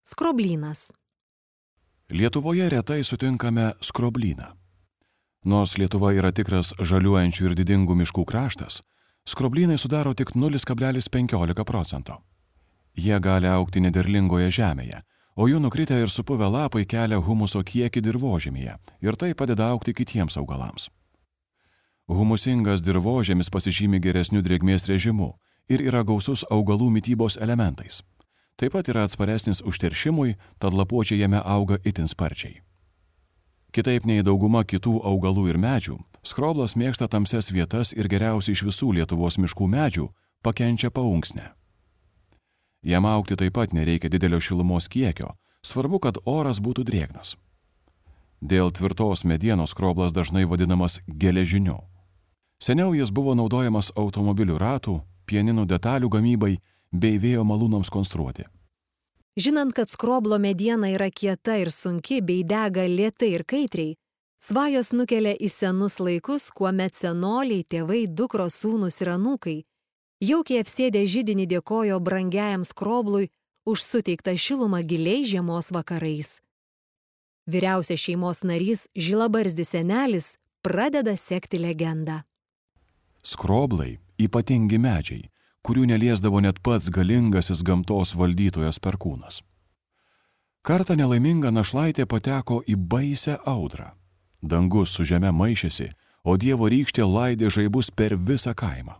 Skroblynas. Lietuvoje retai sutinkame skroblyną. Nors Lietuva yra tikras žaliuojančių ir didingų miškų kraštas, skroblynai sudaro tik 0,15%. Jie gali augti nederlingoje žemėje, o jų nukritę ir supuvę lapai kelia humuso kiekį dirvožemyje ir tai padeda augti kitiems augalams. Humusingas dirvožemis pasižymi geresniu drėgmės režimu ir yra gausus augalų mitybos elementais. Taip pat yra atsparesnis užteršimui, tad lapuočiai jame auga itin sparčiai. Kitaip nei dauguma kitų augalų ir medžių, skroblas mėgsta tamsias vietas ir geriausiai iš visų Lietuvos miškų medžių pakenčia paunksnę. Jam augti taip pat nereikia didelio šilumos kiekio, svarbu, kad oras būtų drėgnas. Dėl tvirtos medienos skroblas dažnai vadinamas geležiniu. Seniau jis buvo naudojamas automobilių ratų, pieninų detalių gamybai bei vėjo malūnams konstruoti. Žinant, kad skroblo mediena yra kieta ir sunki bei dega lėtai ir kaitriai, svajos nukelia į senus laikus, kuomet senoliai, tėvai, dukros, sūnūs ir anūkai jaukiai apsėdę židinį dėkojo brangiajam skroblui už suteiktą šilumą giliai žiemos vakarais. Vyriausias šeimos narys, žilabarzdis senelis, pradeda sekti legendą. Skroblai ypatingi medžiai, kurių neliesdavo net pats galingasis gamtos valdytojas Perkūnas. Kartą nelaiminga našlaitė pateko į baisią audrą. Dangus su žeme maišėsi, o Dievo rykštė laidė žaibus per visą kaimą.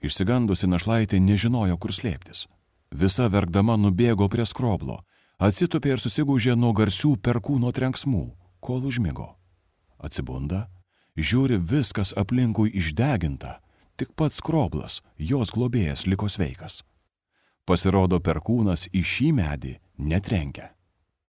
Išsigandusi našlaitė nežinojo, kur slėptis. Visa verkdama nubėgo prie skroblo, atsitupė ir susigūžė nuo garsių Perkūno trenksmų, kol užmigo. Atsibunda, žiūri, viskas aplinkui išdeginta, tik pats skroblas, jos globėjas, liko sveikas. Pasirodo, Perkūnas į šį medį netrenkia.